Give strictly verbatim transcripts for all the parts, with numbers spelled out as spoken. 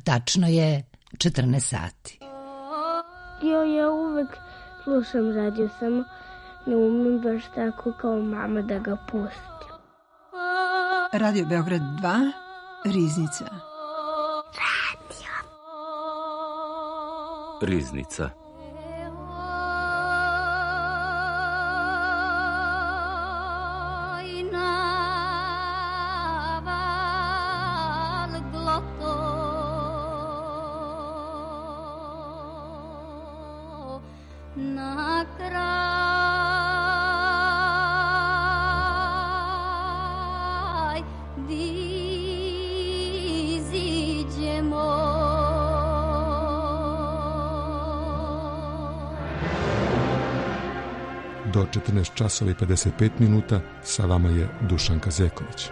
Tačno je četrnaest sati. Jo, ja uvek slušam radio, samo ne umem baš tako kao mama da ga pustim. Radio Beograd dva, Riznica. Radio. Riznica. Do četrnaest časova i pedeset pet minuta sa vama je Dušanka Zeković.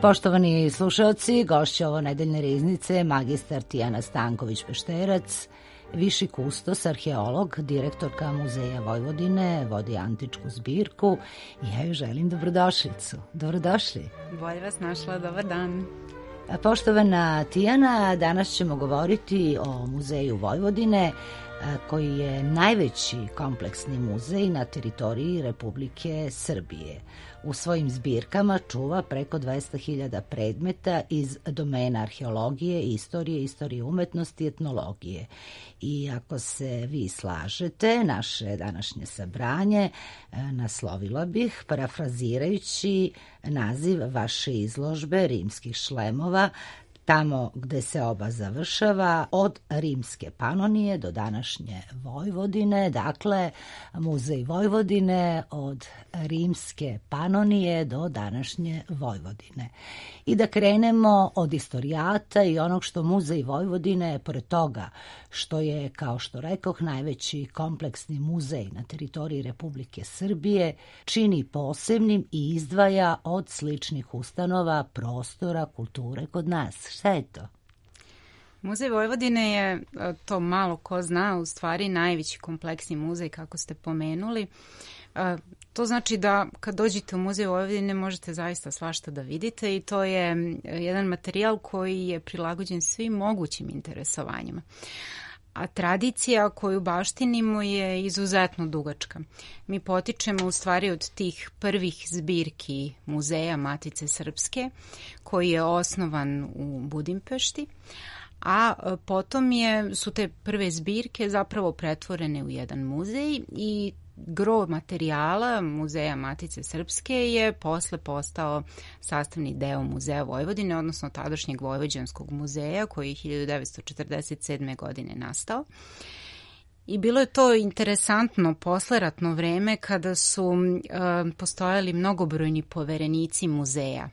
Poštovani slušalci, gošća ovo nedeljne riznice, magistar Tijana Stanković-Pešterac, viši kustos, arheolog, direktorka Muzeja Vojvodine, vodi antičku zbirku i ja joj želim dobrodošlicu. Dobrodošli. Bolje vas našla, dobar dan. Poštovana Tijana, danas ćemo govoriti o Muzeju Vojvodine, koji je najveći kompleksni muzej na teritoriji Republike Srbije. U svojim zbirkama čuva preko dvesta hiljada predmeta iz domena arheologije, istorije, istorije umetnosti i etnologije. I ako se vi slažete, naše današnje sabranje naslovila bih, parafrazirajući naziv vaše izložbe Rimskih šlemova, tamo gde se oba završava, od Rimske Panonije do današnje Vojvodine, dakle Muzej Vojvodine od Rimske Panonije do današnje Vojvodine. I da krenemo od istorijata i onog što Muzej Vojvodine, pored toga što je, kao što rekoh, najveći kompleksni muzej na teritoriji Republike Srbije, čini posebnim i izdvaja od sličnih ustanova, prostora, kulture kod nas. Šta je to? Muzej Vojvodine je, to malo ko zna, u stvari najveći kompleksni muzej, kako ste pomenuli. To znači da kad dođete u Muzej Vojvodine možete zaista svašta da vidite i to je jedan materijal koji je prilagođen svim mogućim interesovanjima. A tradicija koju baštinimo je izuzetno dugačka. Mi potičemo u stvari od tih prvih zbirki Muzeja Matice Srpske, koji je osnovan u Budimpešti, a potom je, su te prve zbirke zapravo pretvorene u jedan muzej i gro materijala Muzeja Matice Srpske je posle postao sastavni deo Muzeja Vojvodine, odnosno tadašnjeg Vojvođanskog muzeja koji je hiljadu devetsto četrdeset sedme. godine nastao. I bilo je to interesantno posleratno vreme kada su e, postojali mnogobrojni poverenici muzeja.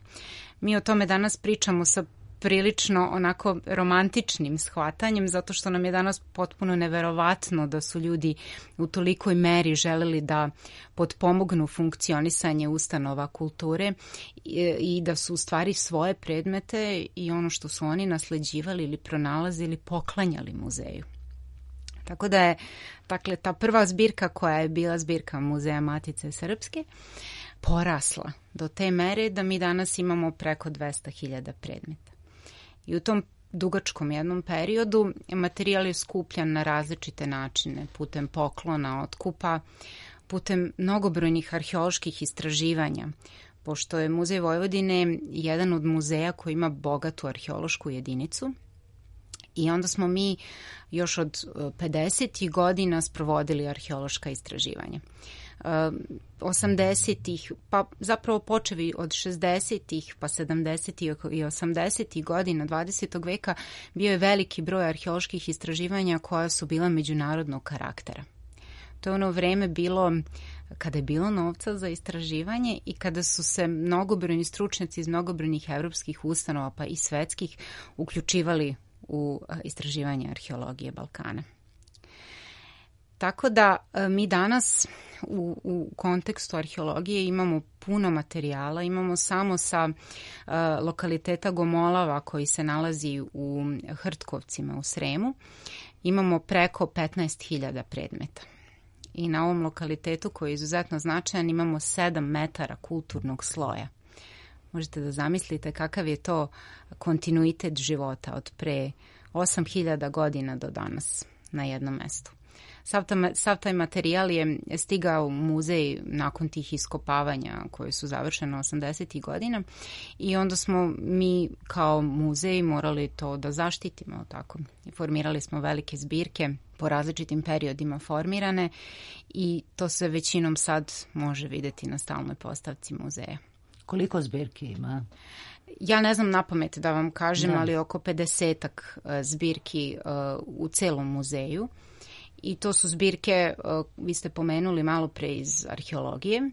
Mi o tome danas pričamo sa prilično onako romantičnim shvatanjem, zato što nam je danas potpuno neverovatno da su ljudi u tolikoj meri želeli da potpomognu funkcionisanje ustanova kulture i, i da su u stvari svoje predmete i ono što su oni nasleđivali ili pronalazili poklanjali muzeju. Tako da je, dakle, ta prva zbirka koja je bila zbirka Muzeja Matice Srpske porasla do te mere da mi danas imamo preko dvesta hiljada predmeta. I u tom dugačkom jednom periodu materijal je skupljan na različite načine, putem poklona, otkupa, putem mnogobrojnih arheoloških istraživanja, pošto je Muzej Vojvodine jedan od muzeja koji ima bogatu arheološku jedinicu. I onda smo mi još od pedesetih godina sprovodili arheološka istraživanja. osamdesetih, pa zapravo počevi od šezdesetih, pa sedamdesetih i osamdesetih godina dvadesetog veka bio je veliki broj arheoloških istraživanja koja su bila međunarodnog karaktera. To je ono vreme bilo kada je bilo novca za istraživanje i kada su se mnogobrojni stručnjaci iz mnogobrojnih evropskih ustanova pa i svetskih uključivali u istraživanje arheologije Balkana. Tako da mi danas u, u kontekstu arheologije imamo puno materijala, imamo samo sa uh, lokaliteta Gomolava koji se nalazi u Hrtkovcima u Sremu, imamo preko petnaest hiljada predmeta. I na ovom lokalitetu koji je izuzetno značajan imamo sedam metara kulturnog sloja. Možete da zamislite kakav je to kontinuitet života od pre osam hiljada godina do danas na jednom mestu. Sav, ta, sav taj materijal je stigao u muzej nakon tih iskopavanja koje su završene osamdesetih godina i onda smo mi kao muzej morali to da zaštitimo. Tako. I formirali smo velike zbirke po različitim periodima formirane i to se većinom sad može videti na stalnoj postavci muzeja. Koliko zbirki ima? Ja ne znam napamet da vam kažem, da. ali oko pedesetak zbirki uh, u celom muzeju. I to su zbirke, uh, vi ste pomenuli malo pre iz arheologije,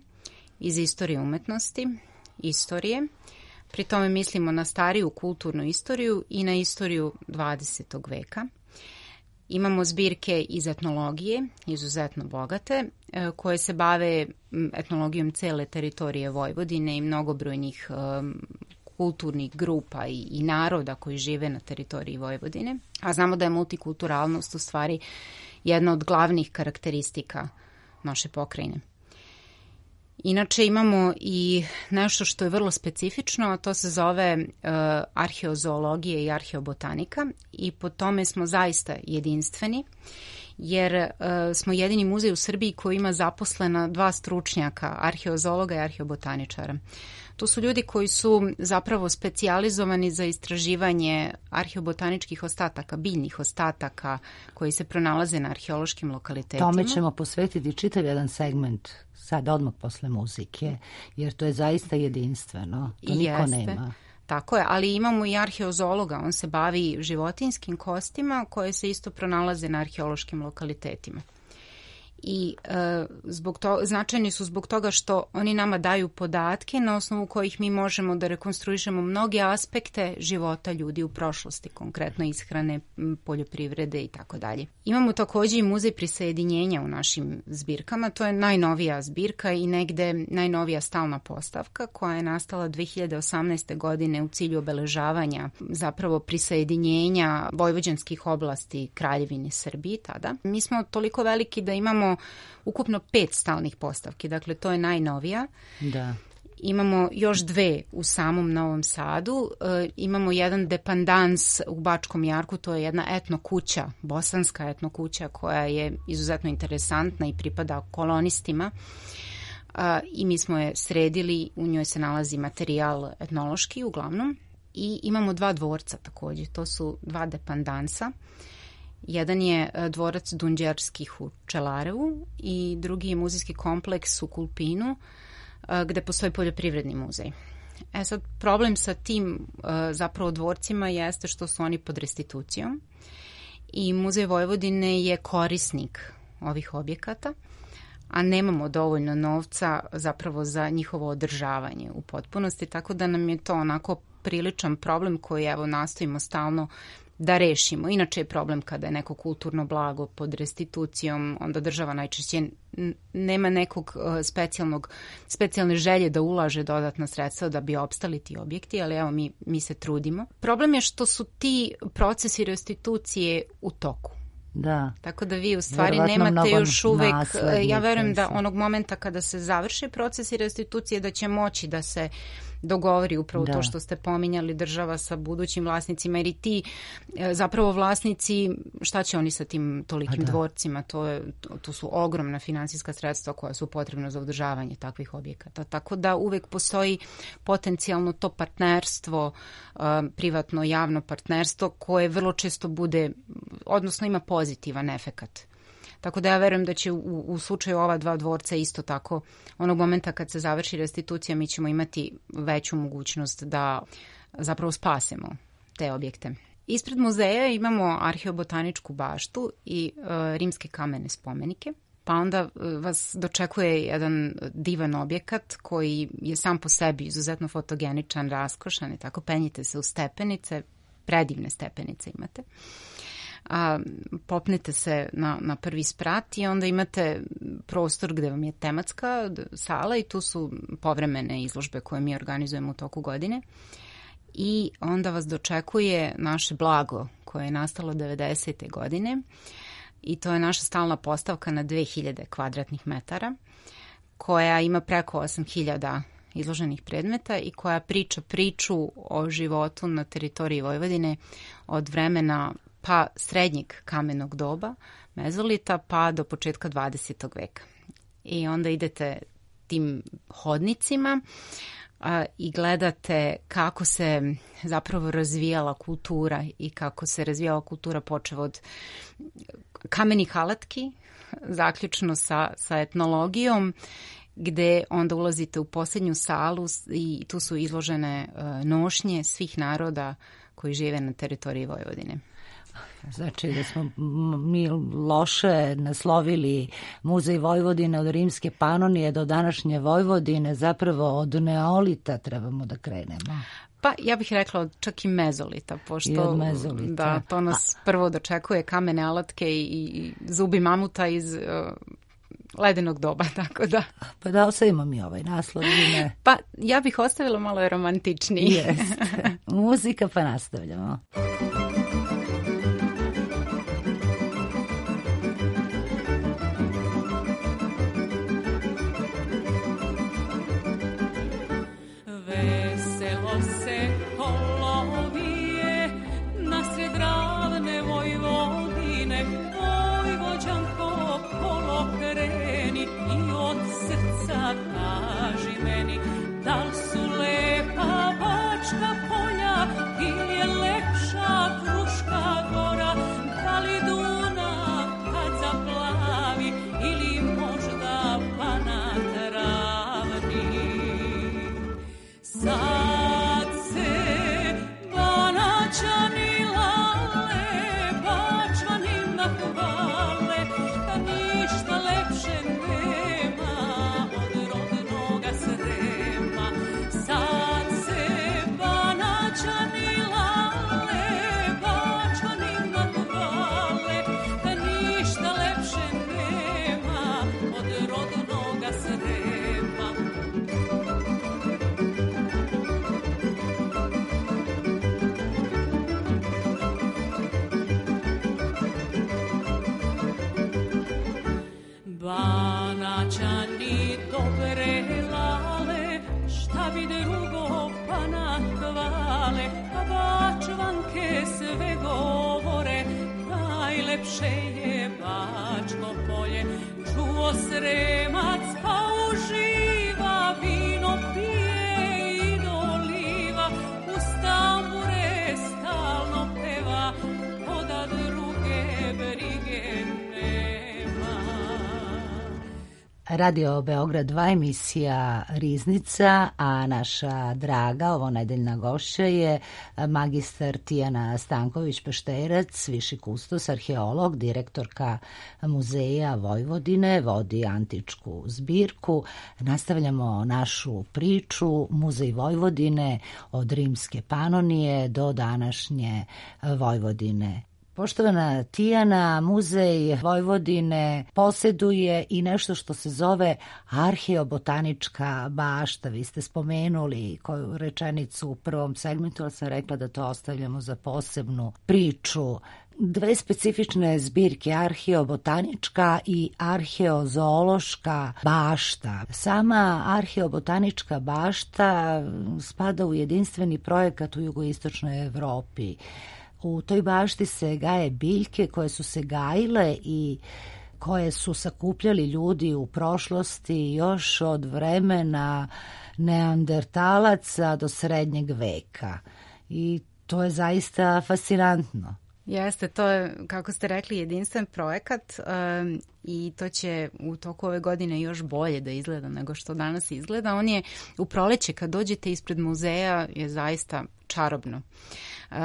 iz istorije umetnosti, istorije. Pri tome mislimo na stariju kulturnu istoriju i na istoriju dvadesetog veka. Imamo zbirke iz etnologije, izuzetno bogate, koje se bave etnologijom cele teritorije Vojvodine i mnogobrojnih um, kulturnih grupa i, i naroda koji žive na teritoriji Vojvodine. A znamo da je multikulturalnost u stvari jedna od glavnih karakteristika naše pokrajine. Inače imamo i nešto što je vrlo specifično, a to se zove uh, arheozoologija i arheobotanika i po tome smo zaista jedinstveni jer uh, smo jedini muzej u Srbiji koji ima zaposlena dva stručnjaka, arheozoologa i arheobotaničara. To su ljudi koji su zapravo specijalizovani za istraživanje arheobotaničkih ostataka, biljnih ostataka koji se pronalaze na arheološkim lokalitetima. Tome ćemo posvetiti čitav jedan segment sad odmah posle muzike, jer to je zaista jedinstveno. To niko Jeste. nema. Tako je, ali imamo i arheozoologa, on se bavi životinjskim kostima koje se isto pronalaze na arheološkim lokalitetima. I e, zbog to, značajni su zbog toga što oni nama daju podatke na osnovu kojih mi možemo da rekonstruišemo mnoge aspekte života ljudi u prošlosti, konkretno ishrane, poljoprivrede i tako dalje. Imamo takođe i muzej prisajedinjenja u našim zbirkama, to je najnovija zbirka i negde najnovija stalna postavka koja je nastala dve hiljade osamnaeste. godine u cilju obeležavanja zapravo prisajedinjenja vojvođanskih oblasti Kraljevine Srbije tada. Mi smo toliko veliki da imamo ukupno pet stalnih postavki, dakle to je najnovija. Da. Imamo još dve u samom Novom Sadu, e, imamo jedan dependans u Bačkom Jarku, to je jedna etno kuća, bosanska etno kuća koja je izuzetno interesantna i pripada kolonistima e, i mi smo je sredili, u njoj se nalazi materijal etnološki uglavnom i imamo dva dvorca takođe, to su dva dependansa. Jedan je dvorac Dunđerskih u Čelarevu i drugi je muzejski kompleks u Kulpinu gde postoji poljoprivredni muzej. E sad, problem sa tim zapravo dvorcima jeste što su oni pod restitucijom i Muzej Vojvodine je korisnik ovih objekata, a nemamo dovoljno novca zapravo za njihovo održavanje u potpunosti, tako da nam je to onako priličan problem koji evo nastojimo stalno da rešimo. Inače je problem kada je neko kulturno blago pod restitucijom, onda država najčešće nema nekog specijalnog, specijalne želje da ulaže dodatna sredstva da bi opstali ti objekti, ali evo mi, mi se trudimo. Problem je što su ti procesi restitucije u toku. Da. Tako da vi u stvari Vjerovatno nemate još uvek, ja verujem da se. onog momenta kada se završe procesi restitucije da će moći da se dogovori upravo da. to što ste pominjali, država sa budućim vlasnicima, jer i ti zapravo vlasnici, šta će oni sa tim tolikim da. dvorcima, to, je, to, to su ogromna finansijska sredstva koja su potrebna za održavanje takvih objekata. Tako da uvek postoji potencijalno to partnerstvo, privatno javno partnerstvo koje vrlo često bude, odnosno ima pozitivan efekat. Tako da ja verujem da će u, u slučaju ova dva dvorca isto tako, onog momenta kad se završi restitucija, mi ćemo imati veću mogućnost da zapravo spasemo te objekte. Ispred muzeja imamo arheobotaničku baštu i e, rimske kamene spomenike. pa onda vas dočekuje jedan divan objekat koji je sam po sebi izuzetno fotogeničan, raskošan i tako penjite se u stepenice, predivne stepenice imate. A, popnete se na, na prvi sprat i onda imate prostor gde vam je tematska sala i tu su povremene izložbe koje mi organizujemo u toku godine i onda vas dočekuje naše blago koje je nastalo devedesete godine i to je naša stalna postavka na dve hiljade kvadratnih metara koja ima preko osam hiljada izloženih predmeta i koja priča priču o životu na teritoriji Vojvodine od vremena pa srednjeg kamenog doba, mezolita, pa do početka dvadesetog veka. I onda idete tim hodnicima a, i gledate kako se zapravo razvijala kultura i kako se razvijala kultura počev od kamenih alatki, zaključno sa, sa etnologijom, gde onda ulazite u posljednju salu i tu su izložene uh, nošnje svih naroda koji žive na teritoriji Vojvodine. Znači da smo mi loše naslovili Muzej Vojvodine od rimske Panonije do današnje Vojvodine, zapravo od neolita trebamo da krenemo. Pa ja bih rekla čak i mezolita, pošto I od mezolita. Da, to nas A... prvo dočekuje kamene alatke i, i zubi mamuta iz uh, ledenog doba, tako da. Pa da ostavimo mi ovaj naslov ili ne? Pa ja bih ostavila malo je romantičniji. Jeste. Muzika pa nastavljamo. Kaži meni, da li su lepa Bačka polja ili je lepša Fruška gora, da li Dunav kad zaplavi ili možda Banat ravni. Sad se Banaćani lale, Bačvanima hvale, da ništa lepše nema od rodnoga Srema. Sad se Banaćani lale, Bačvanima hvale, da ništa lepše nema od rodnoga Srema. Banaćani dobre lale, šta bi drugo pa nahvale, a Bačvanke sve govore, najlepše je Bačko polje. Čuo Sremac pa uživa, vino pije i doliva, uz tambure stalno peva, koda druge brige nema. Radio Beograd dva, emisija Riznica, a naša draga ovonedeljna gošća je magistar Tijana Stanković-Pešterac, viši kustos, arheolog, direktorka Muzeja Vojvodine, vodi antičku zbirku. Nastavljamo našu priču Muzej Vojvodine od rimske Panonije do današnje Vojvodine. Poštovana Tijana, Muzej Vojvodine posjeduje i nešto što se zove arheobotanička bašta. Vi ste spomenuli koju rečenicu u prvom segmentu, ali sam rekla da to ostavljamo za posebnu priču. Dve specifične zbirke, arheobotanička i arheozoološka bašta. Sama arheobotanička bašta spada u jedinstveni projekat u jugoistočnoj Evropi. U toj bašti se gaje biljke koje su se gajile i koje su sakupljali ljudi u prošlosti još od vremena neandertalaca do srednjeg veka. I to je zaista fascinantno. Jeste, to je, kako ste rekli, jedinstven projekat um, i to će u toku ove godine još bolje da izgleda nego što danas izgleda. On je u proleće, kad dođete ispred muzeja, je zaista čarobno. Uh,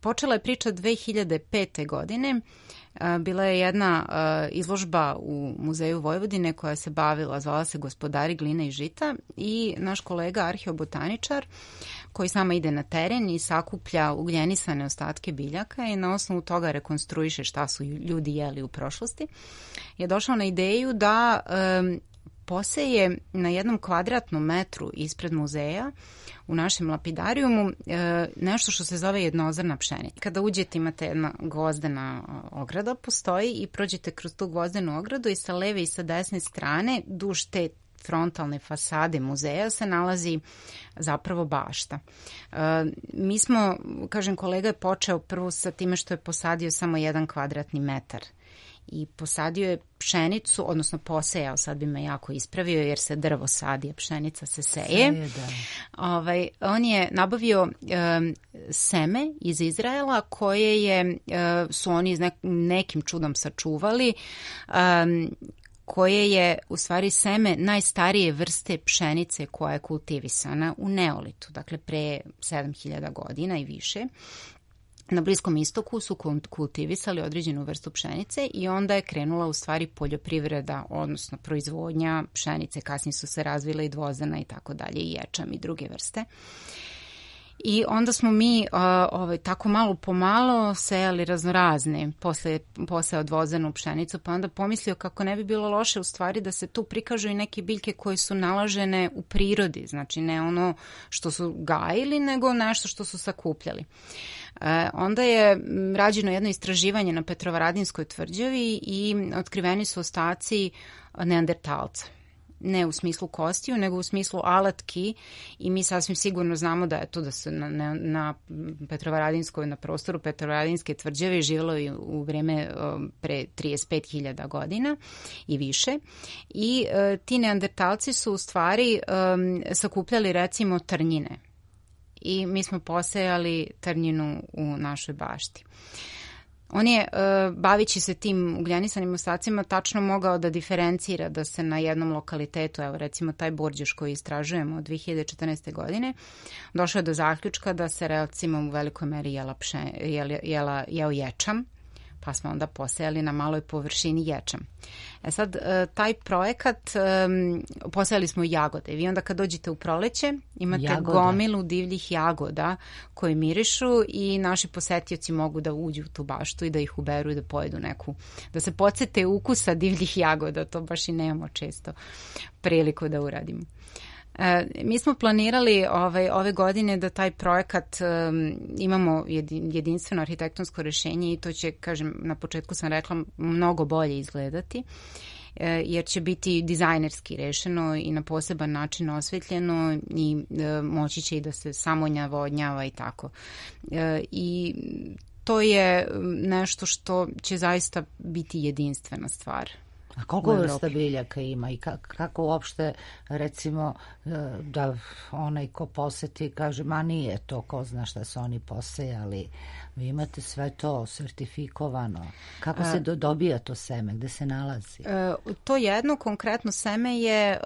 počela je priča dve hiljade pete godine bila je jedna izložba u Muzeju Vojvodine koja se bavila, zvala se Gospodari gline i žita, i naš kolega arheobotaničar koji sama ide na teren i sakuplja ugljenisane ostatke biljaka i na osnovu toga rekonstruiše šta su ljudi jeli u prošlosti, je došao na ideju da um, poseje na jednom kvadratnom metru ispred muzeja u našem lapidarijumu e, nešto što se zove jednozrna pšenica. Kada uđete imate jedna gvozdena ograda, postoji, i prođete kroz tu gvozdenu ogradu i sa leve i sa desne strane duž te frontalne fasade muzeja se nalazi zapravo bašta. E, mi smo, kažem, kolega je počeo prvo sa time što je posadio samo jedan kvadratni metar i posadio je pšenicu, odnosno posejao, sad bi me jako ispravio jer se drvo sadi, a pšenica se seje. Seje, da. Ovaj, on je nabavio um, seme iz Izraela koje je, uh, su oni nek, nekim čudom sačuvali, um, koje je u stvari seme najstarije vrste pšenice koja je kultivisana u Neolitu, dakle pre sedam hiljada godina i više. Na Bliskom istoku su kultivisali određenu vrstu pšenice i onda je krenula u stvari poljoprivreda, odnosno proizvodnja pšenice. Kasnije su se razvile i dvozana i tako dalje, i ječam i druge vrste. I onda smo mi uh, ovaj, tako malo po malo sejali raznorazne posle, posle odvozenu pšenicu, pa onda pomislio kako ne bi bilo loše u stvari da se tu prikažu i neke biljke koje su nalažene u prirodi, znači ne ono što su gajili, nego nešto što su sakupljali. E, onda je rađeno jedno istraživanje na Petrovaradinskoj tvrđavi i otkriveni su ostaci neandertalca. Ne u smislu kostiju, nego u smislu alatki, i mi sasvim sigurno znamo da je to da se na, na, na Petrovaradinskoj, na prostoru Petrovaradinske tvrđave živjelo i u vreme um, pre trideset pet hiljada godina i više. I uh, ti neandertalci su u stvari um, sakupljali recimo trnjine. I mi smo posejali trnjinu u našoj bašti. On je, bavići se tim ugljenisanim ostacima, tačno mogao da diferencira da se na jednom lokalitetu, evo recimo taj Borđeš koji istražujemo od dve hiljade četrnaeste. godine, došao do zaključka da se recimo u velikoj meri jela, pše, jela, jela jeo ječam, pa smo onda posejali na maloj površini ječam. E sad, taj projekat, posejali smo jagode. Vi onda kad dođete u proleće, imate Jagoda. gomilu divljih jagoda koje mirišu i naši posetioci mogu da uđu u tu baštu i da ih uberu i da pojedu neku, da se podsete ukusa divljih jagoda. To baš i nemamo često priliku da uradimo. E, mi smo planirali ovaj, ove godine da taj projekat um, imamo jedinstveno arhitektonsko rješenje i to će, kažem, na početku sam rekla, mnogo bolje izgledati, e, jer će biti dizajnerski rešeno i na poseban način osvetljeno i e, moći će i da se samonjavodnjava i tako. E, I to je nešto što će zaista biti jedinstvena stvar. A koliko vrsta biljaka ima i kako, kako uopšte, recimo, da onaj ko poseti kaže, ma nije to, ko zna šta su oni posejali. Vi imate sve to sertifikovano. Kako se do, dobija to seme? Gde se nalazi? To jedno konkretno seme je,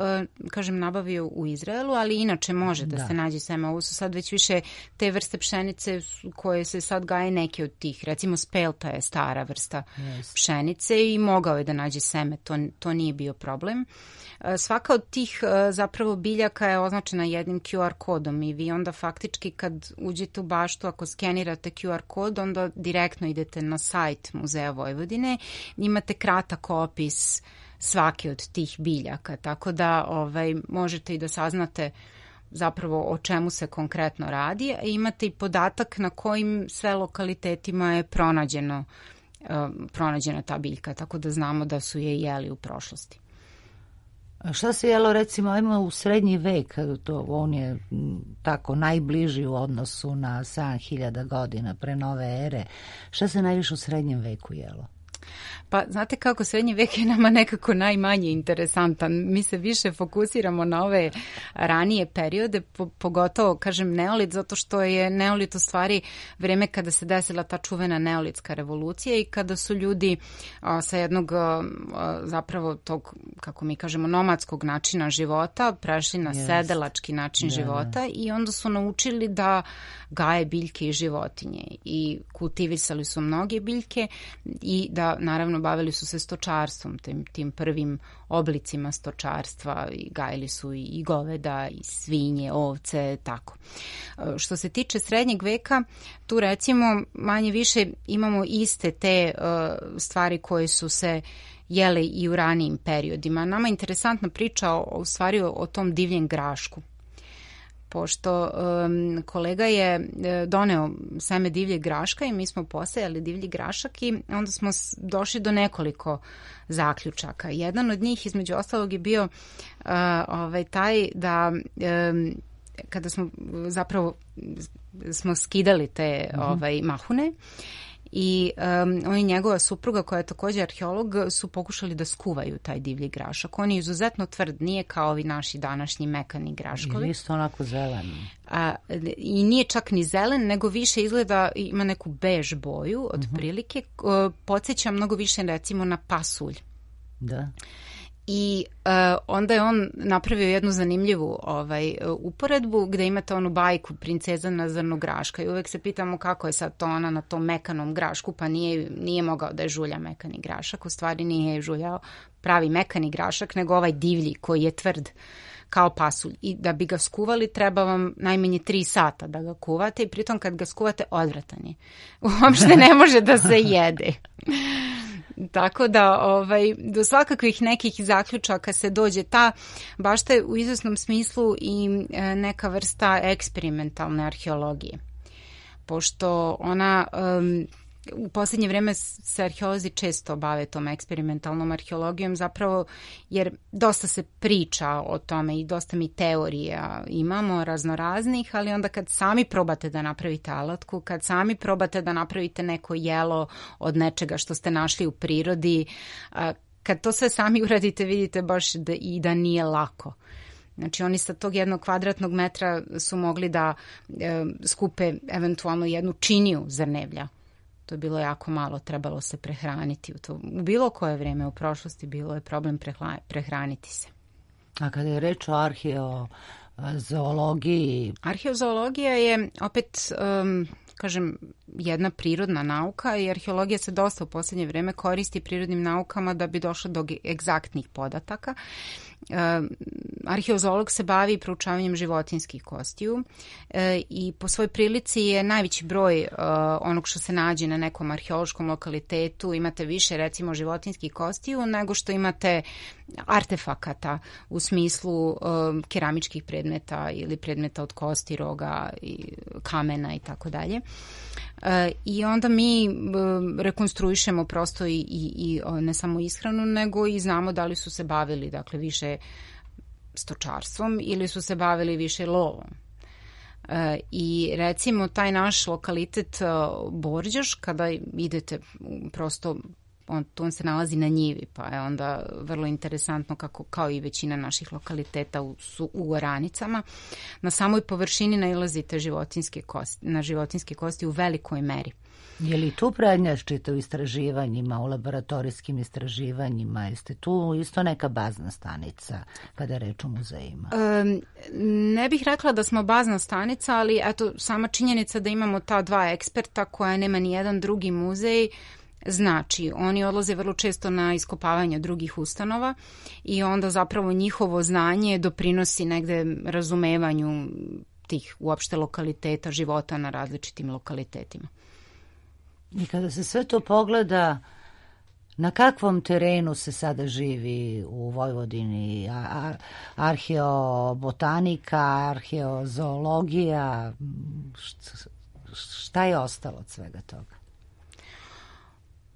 kažem, nabavio u Izraelu, ali inače može da, da se nađe seme. Ovo su sad već više te vrste pšenice koje se sad gaje neke od tih. Recimo spelta je stara vrsta yes. pšenice i mogao je da nađe seme. To, to nije bio problem. Svaka od tih zapravo biljaka je označena jednim Q R kodom i vi onda faktički kad uđete u baštu, ako skenirate Q R kod, onda direktno idete na sajt Muzeja Vojvodine, imate kratak opis svake od tih biljaka, tako da ovaj, možete i da saznate zapravo o čemu se konkretno radi, a imate i podatak na kojim sve lokalitetima je pronađeno, uh, pronađena ta biljka, tako da znamo da su je jeli u prošlosti. Šta se jelo, recimo, ajmo u srednji vek, to, on je tako najbliži u odnosu na sedam hiljada godina pre nove ere. Šta se najviše u srednjem veku jelo? Pa znate kako, srednji vek je nama nekako najmanje interesantan. Mi se više fokusiramo na ove ranije periode, po, pogotovo, kažem, neolit, zato što je neolit u stvari vreme kada se desila ta čuvena neolitska revolucija i kada su ljudi a, sa jednog a, zapravo tog, kako mi kažemo, nomadskog načina života prešli na yes. sedelački način yeah. života i onda su naučili da gaje biljke i životinje i kultivisali su mnoge biljke i da toga, naravno, bavili su se stočarstvom, tim, tim prvim oblicima stočarstva, i gajili su i goveda, i svinje, ovce, tako. Što se tiče srednjeg veka, tu recimo manje više imamo iste te uh, stvari koje su se jele i u ranijim periodima. Nama je interesantna priča o, u stvari o, o tom divljem grašku. Pošto um, kolega je doneo seme divljeg graška i mi smo posejali divlji grašak i onda smo došli do nekoliko zaključaka. Jedan od njih, između ostalog, je bio uh, ovaj, taj da um, kada smo zapravo smo skidali te mm-hmm. ovaj, mahune, i um, on i njegova supruga, koja je također arheolog, su pokušali da skuvaju taj divlji grašak. On je izuzetno tvrd, nije kao ovi naši današnji mekani graškovi. I isto onako zelen. A, I nije čak ni zelen, nego više izgleda, ima neku bež boju, otprilike. Uh-huh. Podsjeća mnogo više, recimo, na pasulj. Da. I uh, onda je on napravio jednu zanimljivu ovaj, uporedbu gde imate onu bajku Princeza na zrnu graška i uvek se pitamo kako je sad to ona na tom mekanom grašku, pa nije, nije mogao da je žulja mekani grašak, u stvari nije žuljao pravi mekani grašak, nego ovaj divlji koji je tvrd kao pasulj. I da bi ga skuvali treba vam najmanje tri sata da ga kuvate i pritom kad ga skuvate odvratan je. Uopšte ne može da se jede. Tako da ovaj, do svakakvih nekih zaključaka se dođe. Ta bašta je u izvesnom smislu i neka vrsta eksperimentalne arheologije. Pošto ona um, u posljednje vrijeme se arheolozi često bave tom eksperimentalnom arheologijom, zapravo jer dosta se priča o tome i dosta mi teorija imamo raznoraznih, ali onda kad sami probate da napravite alatku, kad sami probate da napravite neko jelo od nečega što ste našli u prirodi, kad to sve sami uradite, vidite baš da, i da nije lako. Znači oni sa tog jednog kvadratnog metra su mogli da e, skupe eventualno jednu činiju zrnevlja. To je bilo jako malo, trebalo se prehraniti. U, to, u bilo koje vrijeme u prošlosti bilo je problem prehla, prehraniti se. A kada je reč o arheozoologiji? Arheozoologija je opet, um, kažem, jedna prirodna nauka i arheologija se dosta u posljednje vrijeme koristi prirodnim naukama da bi došlo do egzaktnih podataka. Uh, arheozoolog se bavi proučavanjem životinjskih kostiju uh, i po svoj prilici je najveći broj uh, onog što se nađe na nekom arheološkom lokalitetu. Imate više, recimo, životinjskih kostiju nego što imate artefakata u smislu uh, keramičkih predmeta ili predmeta od kosti, roga, i kamena i tako dalje. I onda mi rekonstruišemo prosto i, i, i ne samo ishranu, nego i znamo da li su se bavili, dakle, više stočarstvom ili su se bavili više lovom. I recimo taj naš lokalitet Borđoš, kada idete prosto, on, on se nalazi na njivi, pa je onda vrlo interesantno, kako, kao i većina naših lokaliteta u, su u oranicama. Na samoj površini nailazite životinjske kosti, na životinjske kosti u velikoj meri. Je li tu prednjačite u istraživanjima, u laboratorijskim istraživanjima? Jeste tu isto neka bazna stanica kada je reč o muzejima? Um, ne bih rekla da smo bazna stanica, ali eto, sama činjenica da imamo ta dva eksperta koja nema ni jedan drugi muzej, znači, oni odlaze vrlo često na iskopavanje drugih ustanova i onda zapravo njihovo znanje doprinosi negde razumevanju tih uopšte lokaliteta, života na različitim lokalitetima. I kada se sve to pogleda, na kakvom terenu se sada živi u Vojvodini? Ar- arheobotanika, arheozoologija, šta je ostalo od svega toga?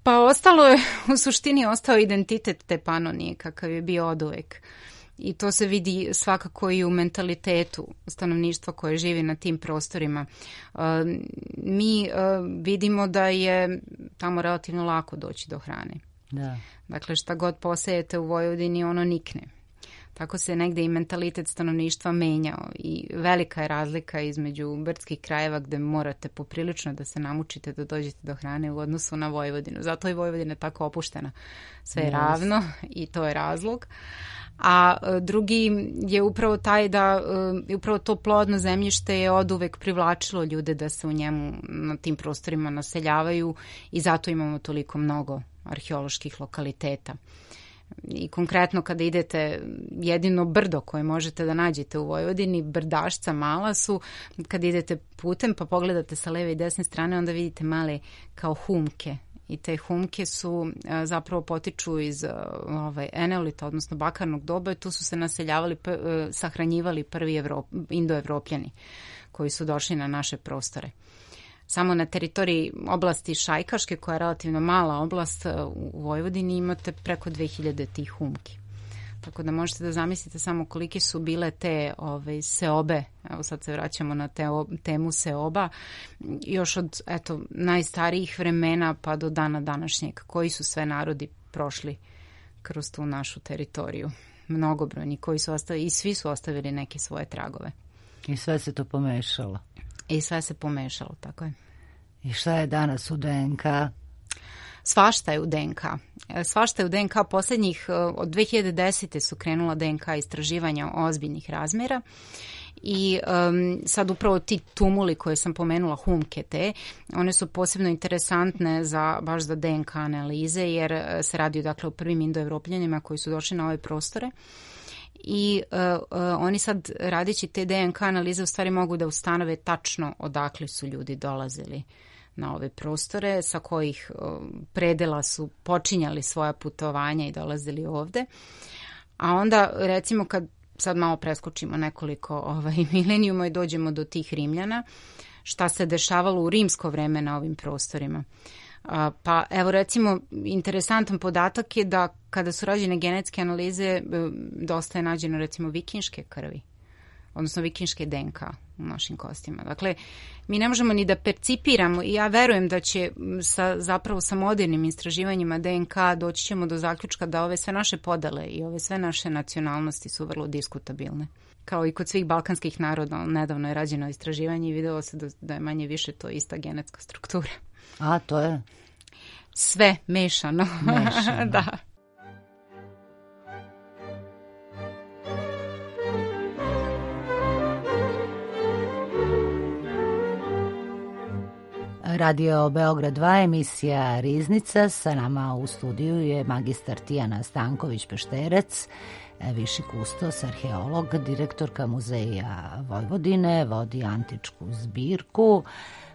Pa ostalo je, u suštini ostao identitet te Panonije kakav je bio oduvek. I to se vidi svakako i u mentalitetu stanovništva koje živi na tim prostorima. Uh, mi uh, vidimo da je tamo relativno lako doći do hrane. Da. Dakle, šta god posejete u Vojvodini, ono nikne. Tako se negde i mentalitet stanovništva menjao i velika je razlika između brdskih krajeva gde morate poprilično da se namučite da dođete do hrane u odnosu na Vojvodinu. Zato je Vojvodina tako opuštena. Sve je ravno i to je razlog. A drugi je upravo taj da upravo to plodno zemljište je oduvek privlačilo ljude da se u njemu na tim prostorima naseljavaju i zato imamo toliko mnogo arheoloških lokaliteta. I konkretno kada idete, jedino brdo koje možete da nađete u Vojvodini, Brdašca mala su, kada idete putem pa pogledate sa leve i desne strane, onda vidite male kao humke. I te humke su zapravo potiču iz ovaj, eneolita, odnosno bakarnog doba, i tu su se naseljavali, sahranjivali prvi Evrop, indoevropljani koji su došli na naše prostore. Samo na teritoriji oblasti Šajkaške, koja je relativno mala oblast u Vojvodini, imate preko dve hiljade tih humki. Tako da možete da zamislite samo kolike su bile te ove, seobe, evo sad se vraćamo na te, temu seoba, još od eto, najstarijih vremena pa do dana današnjeg, koji su sve narodi prošli kroz tu našu teritoriju. Mnogobrojni koji su ostavili, i svi su ostavili neke svoje tragove. I sve se to pomešalo. I sve se pomešalo, tako je. I šta je danas u D N K? Svašta je u D N K. Svašta je u D N K. Posljednjih, od dve hiljade desete su krenula D N K istraživanja ozbiljnih razmjera i um, sad upravo ti tumuli koje sam pomenula, humke te, one su posebno interesantne za, baš za D N K analize, jer se radi dakle o prvim indoevropljanima koji su došli na ove prostore. I uh, uh, oni sad, radeći te D N K analize, u stvari mogu da ustanove tačno odakle su ljudi dolazili na ove prostore, sa kojih uh, predela su počinjali svoja putovanja i dolazili ovde. A onda, recimo, kad sad malo preskočimo nekoliko ovaj, milenijuma i dođemo do tih Rimljana, šta se dešavalo u rimsko vreme na ovim prostorima. Pa evo recimo, interesantan podatak je da kada su rađene genetske analize, dosta je nađeno recimo vikinške krvi, odnosno vikinške D N K u našim kostima. Dakle, mi ne možemo ni da percipiramo, i ja verujem da će sa, zapravo sa modernim istraživanjima D N K doći ćemo do zaključka da ove sve naše podele i ove sve naše nacionalnosti su vrlo diskutabilne. Kao i kod svih balkanskih naroda, nedavno je rađeno istraživanje i videlo se da, da je manje više to ista genetska struktura. A, to je? Sve mešano. Mešano. Da. Radio Beograd dva, emisija Riznica. Sa nama u studiju je magistar Tijana Stanković-Pešterec, viši kustos, arheolog, direktorka Muzeja Vojvodine, vodi antičku zbirku.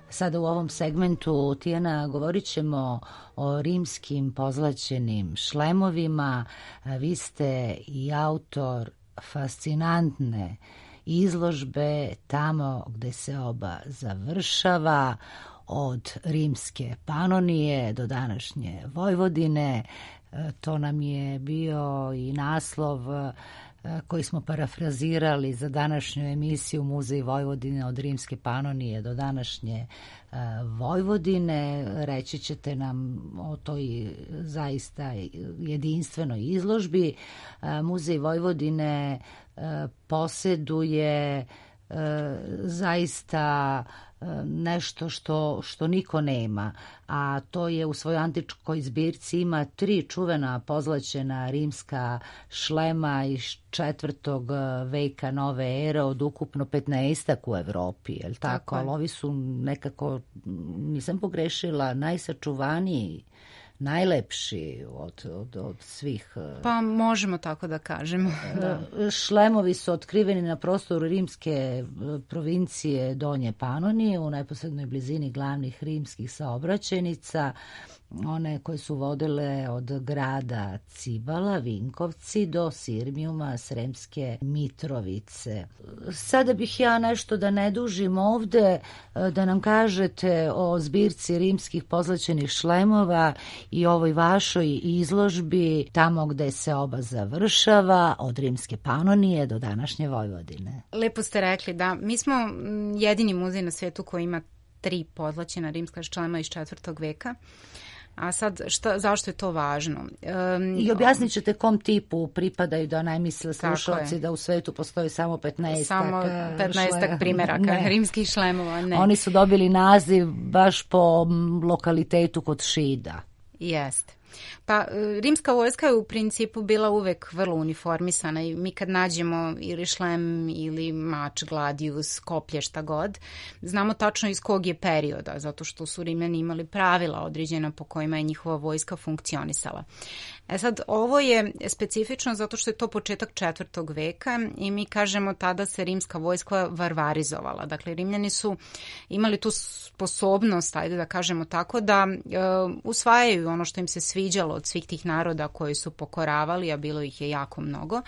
Sada u ovom segmentu, Tijana, govorit ćemo o rimskim pozlaćenim šlemovima. Vi ste i autor fascinantne izložbe Tamo gde se oba završava, od rimske Panonije do današnje Vojvodine. To nam je bio i naslov koji smo parafrazirali za današnju emisiju Muzej Vojvodine, od rimske Panonije do današnje Vojvodine. Reći ćete nam o toj zaista jedinstvenoj izložbi. Muzej Vojvodine posjeduje zaista nešto što, što niko nema, a to je u svojoj antičkoj zbirci ima tri čuvena pozlaćena rimska šlema iz četvrtog veka nove ere od ukupno petnaestak u Evropi, je li tako? Ali ovi su nekako, nisam pogrešila, najsačuvaniji, najlepši od, od, od svih. Pa možemo tako da kažemo. Da. Šlemovi su otkriveni na prostoru rimske provincije Donje Panonije, u neposrednoj blizini glavnih rimskih saobraćajnica, one koje su vodile od grada Cibala, Vinkovci, do Sirmijuma, Sremske Mitrovice. Sada bih ja nešto, da ne dužim ovde, da nam kažete o zbirci rimskih pozlaćenih šlemova i ovoj vašoj izložbi Tamo gde se oba završava, od rimske Panonije do današnje Vojvodine. Lepo ste rekli, da. Mi smo jedini muzej na svijetu koji ima tri pozlaćena rimska šlema iz četvrtog veka. A sad, šta, zašto je to važno? Um, I objasnit ćete kom tipu pripadaju, da ne misle slušalci da u svetu postoji samo petnaestak Samo petnaestak primjeraka ne. rimskih šlemova. Ne. Oni su dobili naziv baš po lokalitetu kod Šida. Jeste. Pa rimska vojska je u principu bila uvek vrlo uniformisana i mi kad nađemo ili šlem ili mač, gladius, koplje, šta god, znamo tačno iz kog je perioda, zato što su Rimljani imali pravila određena po kojima je njihova vojska funkcionisala. E sad, ovo je specifično zato što je to početak četvrtog veka i mi kažemo tada se rimska vojska varvarizovala. Dakle, Rimljani su imali tu sposobnost, ajde da kažemo tako, da e, usvajaju ono što im se sviđalo od svih tih naroda koji su pokoravali, a bilo ih je jako mnogo.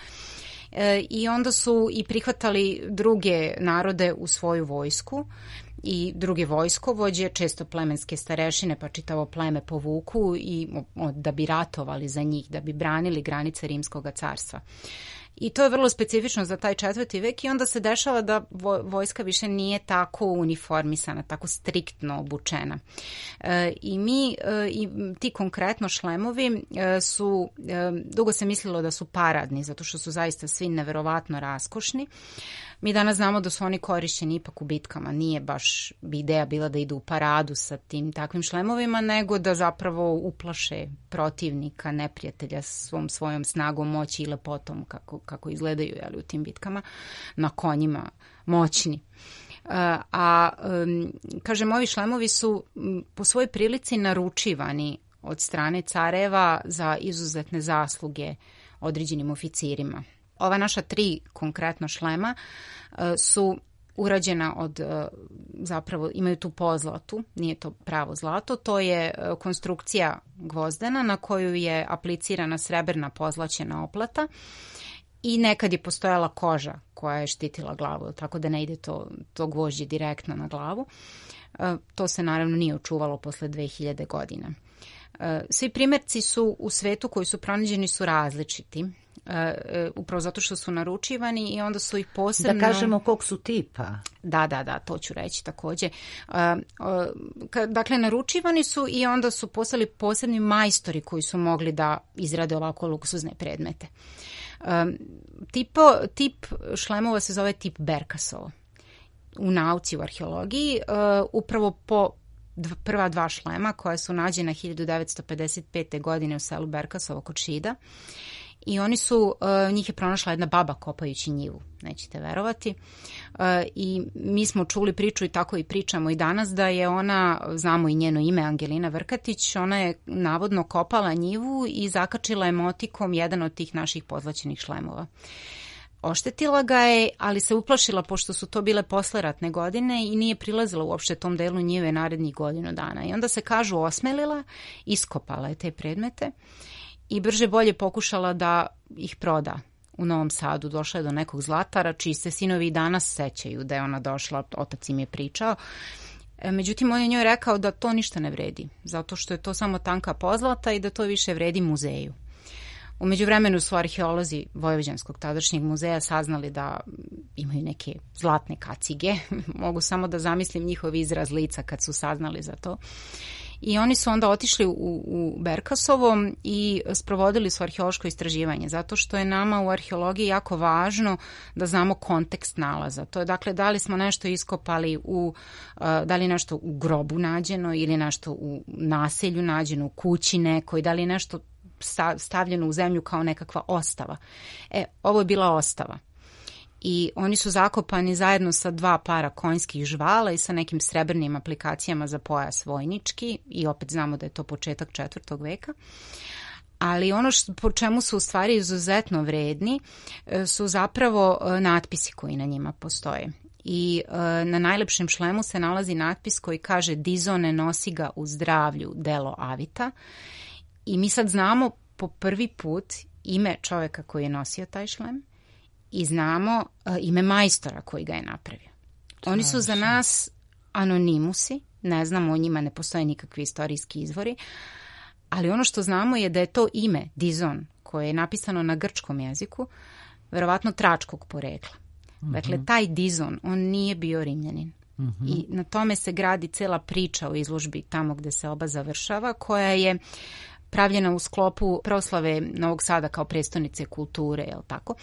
E, I onda su i prihvatali druge narode u svoju vojsku i druge vojskovođe, često plemenske starešine, pa čitavo pleme povuku i da bi ratovali za njih, da bi branili granice Rimskog carstva. I to je vrlo specifično za taj četvrti vek i onda se dešava da vojska više nije tako uniformisana, tako striktno obučena. E, I mi, e, i ti konkretno šlemovi e, su, e, dugo se mislilo da su paradni, zato što su zaista svi neverovatno raskošni. Mi danas znamo da su oni korišćeni ipak u bitkama. Nije baš ideja bila da idu u paradu sa tim takvim šlemovima, nego da zapravo uplaše protivnika, neprijatelja svom svojom snagom, moći i lepotom kako, kako izgledaju, jeli, u tim bitkama, na konjima moćni. A, a kažem, ovi šlemovi su po svojoj prilici naručivani od strane careva za izuzetne zasluge određenim oficirima. Ova naša tri konkretno šlema uh, su urađena od, uh, zapravo imaju tu pozlatu, nije to pravo zlato, to je uh, konstrukcija gvozdena na koju je aplicirana srebrna pozlaćena oplata i nekad je postojala koža koja je štitila glavu, tako da ne ide to, to gvožđe direktno na glavu. Uh, to se naravno nije očuvalo posle dve hiljade godina. Uh, svi primjerci su u svetu koji su pronađeni su različiti. Uh, upravo zato što su naručivani i onda su ih posebno... Da kažemo kog su tipa. Da, da, da, to ću reći također. Uh, uh, ka, dakle, naručivani su i onda su postali posebni majstori koji su mogli da izrade ovako luksuzne predmete. Uh, tipo, tip šlemova se zove tip Berkasovo. U nauci, u arheologiji, uh, upravo po prva dva šlema koja su nađena hiljadu devetsto pedeset pete. godine u selu Berkasovo kod Šida. I oni su, uh, njih je pronašla jedna baba kopajući njivu, nećete verovati. Uh, I mi smo čuli priču i tako i pričamo i danas da je ona, znamo i njeno ime, Angelina Vrkatić, ona je navodno kopala njivu i zakačila je motikom jedan od tih naših pozlaćenih šlemova. Oštetila ga je, ali se uplašila pošto su to bile posleratne godine i nije prilazila uopšte tom delu njive narednih godinu dana. I onda se, kažu, osmelila, iskopala je te predmete i brže bolje pokušala da ih proda u Novom Sadu. Došla je do nekog zlatara, čiji se sinovi i danas sećaju da je ona došla, otac im je pričao. Međutim, on je njoj rekao da to ništa ne vredi, zato što je to samo tanka pozlata i da to više vredi muzeju. U međuvremenu su arheolozi Vojvođanskog tadašnjeg muzeja saznali da imaju neke zlatne kacige. Mogu samo da zamislim njihov izraz lica kad su saznali za to. I oni su onda otišli u, u Berkasovo i sprovodili su arheološko istraživanje, zato što je nama u arheologiji jako važno da znamo kontekst nalaza. To je, dakle, da li smo nešto iskopali u, da li nešto u grobu nađeno ili nešto u naselju nađeno, u kući nekoj, da li je nešto stavljeno u zemlju kao nekakva ostava. E, ovo je bila ostava. I oni su zakopani zajedno sa dva para konjskih žvala i sa nekim srebrnim aplikacijama za pojas vojnički i opet znamo da je to početak četvrtog veka. Ali ono što, po čemu su u stvari izuzetno vredni su zapravo natpisi koji na njima postoje. I e, na najlepšem šlemu se nalazi natpis koji kaže Dizone nosi ga u zdravlju delo avita. I mi sad znamo po prvi put ime čovjeka koji je nosio taj šlem i znamo uh, ime majstora koji ga je napravio. Oni su za nas anonimusi, ne znamo o njima, ne postoje nikakvi istorijski izvori, ali ono što znamo je da je to ime Dizon, koje je napisano na grčkom jeziku, verovatno tračkog porekla. Uh-huh. Dakle, taj Dizon, on nije bio Rimljanin. Uh-huh. I na tome se gradi cela priča o izložbi tamo gde se oba završava, koja je pravljena u sklopu proslave Novog Sada kao prestonice kulture, je li tako?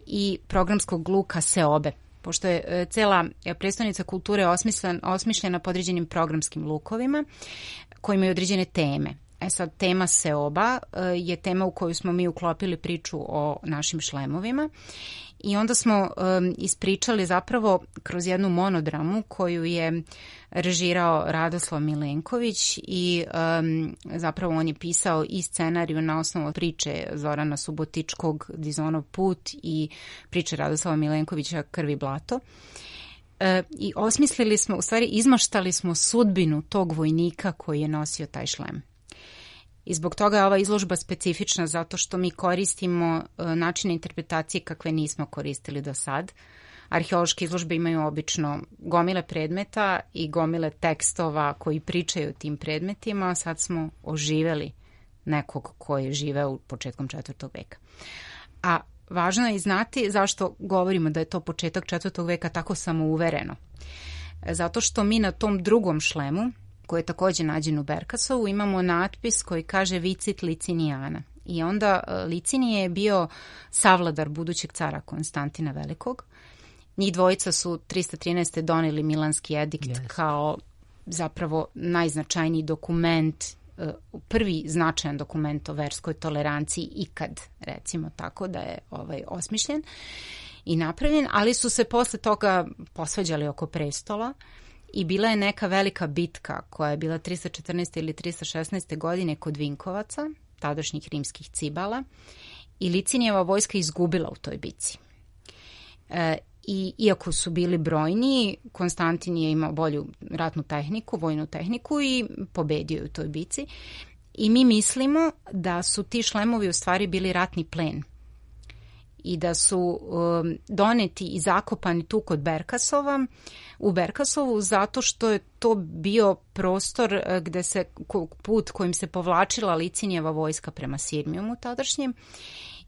I programskog luka Seobe, pošto je cela prestonica kulture osmišljena, osmišljena po određenim programskim lukovima koji imaju određene teme. E sad, tema seoba je tema u koju smo mi uklopili priču o našim šlemovima i onda smo um, ispričali zapravo kroz jednu monodramu koju je režirao Radoslav Milenković i um, zapravo on je pisao i scenariju na osnovu priče Zorana Subotičkog Dizonov put i priče Radoslava Milenkovića Krv i blato. E, I osmislili smo, u stvari izmaštali smo sudbinu tog vojnika koji je nosio taj šlem. I zbog toga je ova izložba specifična zato što mi koristimo e, načine interpretacije kakve nismo koristili do sad. Arheološke izložbe imaju obično gomile predmeta i gomile tekstova koji pričaju o tim predmetima, a sad smo oživeli nekog koji je živeo u početkom četvrtog veka. A važno je znati zašto govorimo da je to početak četvrtog veka tako samouvereno. Zato što mi na tom drugom šlemu, koji je takođe nađen u Berkasovu, imamo natpis koji kaže Vicit Licinijana. I onda Licinije je bio savladar budućeg cara Konstantina Velikog. Njih dvojica su trista trinaeste. doneli Milanski edikt yes. kao zapravo najznačajniji dokument, prvi značajan dokument o verskoj toleranciji ikad, recimo tako da je ovaj osmišljen i napravljen, ali su se posle toga posvađali oko prestola i bila je neka velika bitka koja je bila trista četrnaeste. ili trista šesnaeste. godine kod Vinkovaca, tadašnjih rimskih cibala, i Licinijeva vojska izgubila u toj bitci. E, I iako su bili brojni, Konstantin je imao bolju ratnu tehniku, vojnu tehniku i pobedio u toj bici. I mi mislimo da su ti šlemovi u stvari bili ratni plen i da su um, doneti i zakopani tu kod Berkasova, u Berkasovu, zato što je to bio prostor gde se, put kojim se povlačila Licinijeva vojska prema Sirmijumu tadašnjem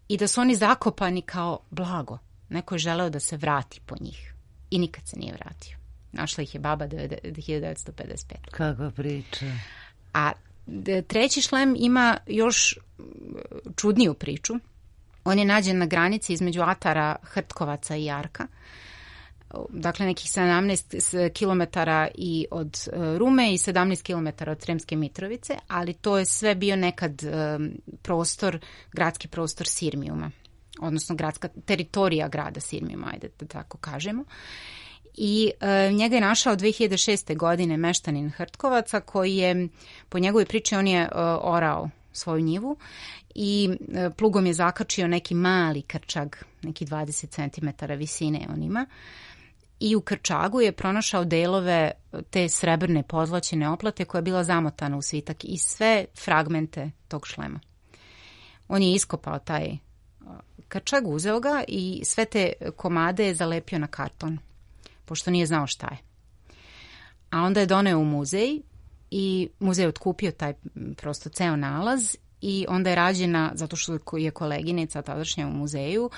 i da su oni zakopani kao blago. Neko je želeo da se vrati po njih i nikad se nije vratio. Našla ih je baba hiljadu devetsto pedeset pete. Kakva priča. A treći šlem ima još čudniju priču. On je nađen na granici između Atara, Hrtkovaca i Jarka. Dakle, nekih sedamnaest kilometara i od Rume i sedamnaest kilometara od Sremske Mitrovice, ali to je sve bio nekad prostor, gradski prostor Sirmijuma, odnosno gradska teritorija grada Sirmijuma, ajde da tako kažemo. I e, njega je našao dve hiljade šeste. godine meštanin Hrtkovaca koji je, po njegovoj priči, on je e, orao svoju njivu i e, plugom je zakačio neki mali krčag, neki dvadeset centimetara visine on ima. I u krčagu je pronašao delove te srebrne pozlaćene oplate koja je bila zamotana u svitak i sve fragmente tog šlema. On je iskopao taj krčag, uzeo ga i sve te komade je zalepio na karton, pošto nije znao šta je. A onda je doneo u muzej i muzej je otkupio taj prosto ceo nalaz i onda je rađena, zato što je koleginica tadašnja u muzeju,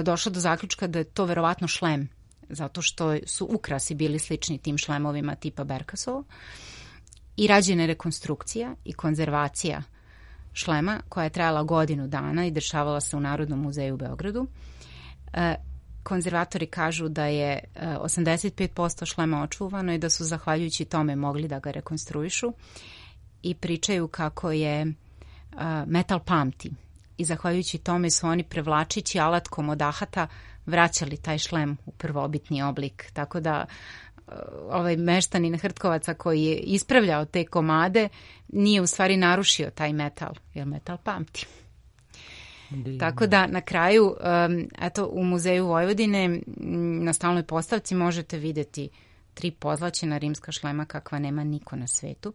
došla do zaključka da je to verovatno šlem, zato što su ukrasi bili slični tim šlemovima tipa Berkasov, i rađena je rekonstrukcija i konzervacija šlema koja je trajala godinu dana i dešavala se u Narodnom muzeju u Beogradu. E, konzervatori kažu da je osamdeset pet posto šlema očuvano i da su zahvaljujući tome mogli da ga rekonstruišu i pričaju kako je a, metal pamti i zahvaljujući tome su oni prevlačići alatkom od ahata vraćali taj šlem u prvobitni oblik. Tako da ovaj meštanin Hrtkovaca koji je ispravljao te komade nije u stvari narušio taj metal, jer metal pamti. Divno. Tako da na kraju, um, eto, u Muzeju Vojvodine na stalnoj postavci možete videti tri pozlaćena rimska šlema kakva nema niko na svetu.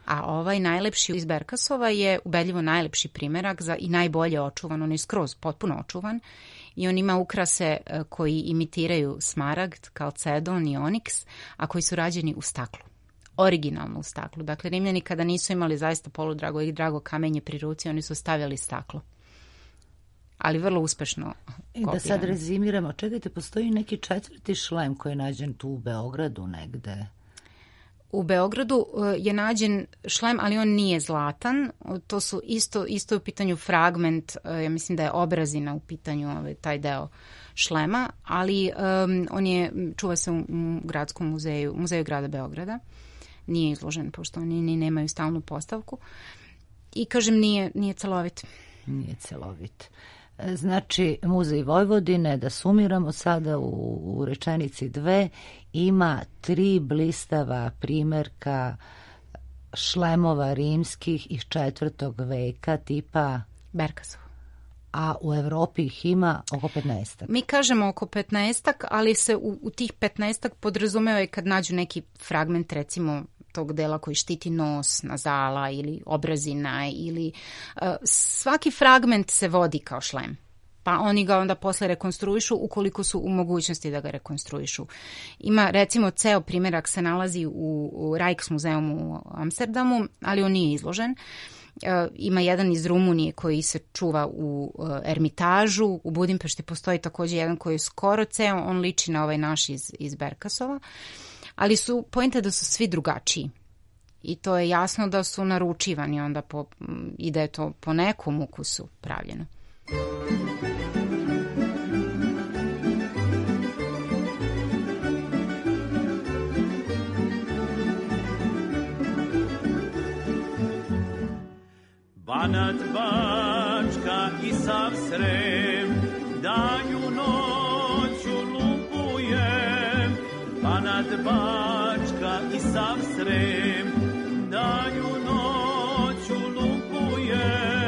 A ovaj najlepši iz Berkasova je ubedljivo najlepši primerak za i najbolje očuvan, on je skroz potpuno očuvan i on ima ukrase koji imitiraju smaragd, kalcedon i oniks, a koji su rađeni u staklu. Originalno u staklu. Dakle, Rimljani kada nisu imali zaista poludrago i drago kamenje pri ruci, oni su stavljali staklo. Ali vrlo uspešno kopirano. I da sad rezimiramo, čekajte, postoji neki četvrti šlem koji je nađen tu u Beogradu negde. U Beogradu je nađen šlem, ali on nije zlatan. To su isto, isto u pitanju fragment, ja mislim da je obrazina u pitanju ovaj, taj deo šlema, ali um, on je, čuva se u, u gradskom muzeju, muzeju grada Beograda. Nije izložen, pošto oni ni nemaju stalnu postavku. i kažem nije, nije celovit. Nije celovit. Znači, Muzej Vojvodine, da sumiramo sada u, u rečenici dve, ima tri blistava primjerka šlemova rimskih iz četvrtog veka tipa Berkasov. A u Evropi ih ima oko petnaestak. Mi kažemo oko petnaestak, ali se u, u tih petnaestak podrazumeva i kad nađu neki fragment, recimo tog dela koji štiti nos, nazala ili obrazina ili uh, svaki fragment se vodi kao šlem. Pa oni ga onda posle rekonstruišu ukoliko su u mogućnosti da ga rekonstruišu. Ima recimo ceo primjerak se nalazi u, u Rijksmuseum u Amsterdamu, ali on nije izložen. E, ima jedan iz Rumunije koji se čuva u e, Ermitažu, u Budimpešti postoji također jedan koji je skoro ceo, on liči na ovaj naš iz, iz Berkasova, ali su poenta da su svi drugačiji. I to je jasno da su naručivani onda po, i da je to po nekom ukusu pravljeno. Banat, Bačka i sav Srem, danju noću lupujem. Banat, Bačka i sav Srem, danju noću lupujem.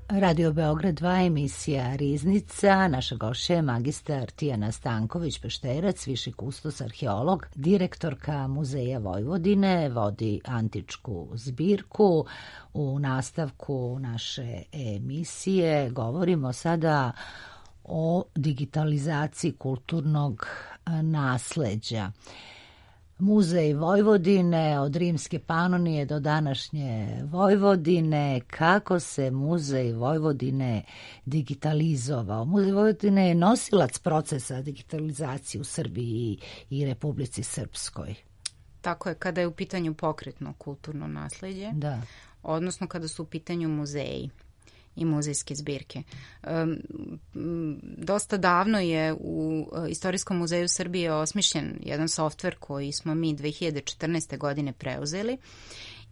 Radio Beograd dva, emisija Riznica. Naša gošća je magistar Tijana Stanković-Pešterac, viši kustos arheolog, direktorka Muzeja Vojvodine, vodi antičku zbirku. U nastavku naše emisije govorimo sada o digitalizaciji kulturnog nasleđa. Muzej Vojvodine, od rimske Panonije do današnje Vojvodine, kako se Muzej Vojvodine digitalizovao. Muzej Vojvodine je nosilac procesa digitalizacije u Srbiji i Republici Srpskoj. Tako je, kada je u pitanju pokretno kulturno nasleđe, da. Odnosno kada su u pitanju muzeji i muzejske zbirke. Um, dosta davno je u Istorijskom muzeju Srbije osmišljen jedan softver koji smo mi dve hiljade četrnaeste. godine preuzeli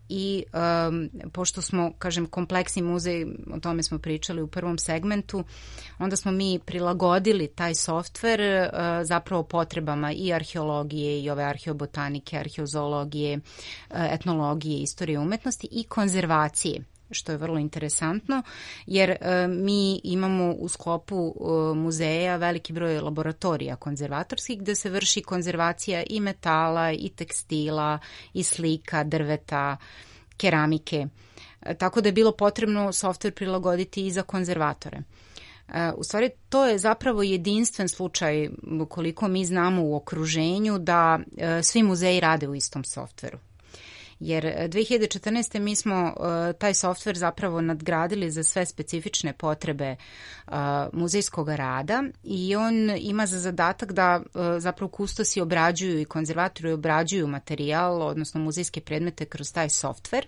i um, pošto smo, kažem, kompleksni muzej, o tome smo pričali u prvom segmentu, onda smo mi prilagodili taj softver uh, zapravo potrebama i arheologije i ove arheobotanike, arheozoologije, uh, etnologije, istorije umetnosti i konzervacije, što je vrlo interesantno, jer e, mi imamo u sklopu e, muzeja veliki broj laboratorija konzervatorskih gde se vrši konzervacija i metala i tekstila i slika, drveta, keramike. E, tako da je bilo potrebno softver prilagoditi i za konzervatore. E, u stvari, to je zapravo jedinstven slučaj koliko mi znamo u okruženju da e, svi muzeji rade u istom softveru. Jer dve hiljade četrnaeste. mi smo uh, taj softver zapravo nadgradili za sve specifične potrebe uh, muzejskog rada i on ima za zadatak da uh, zapravo kustosi obrađuju i konzervatori obrađuju materijal, odnosno muzejske predmete kroz taj softver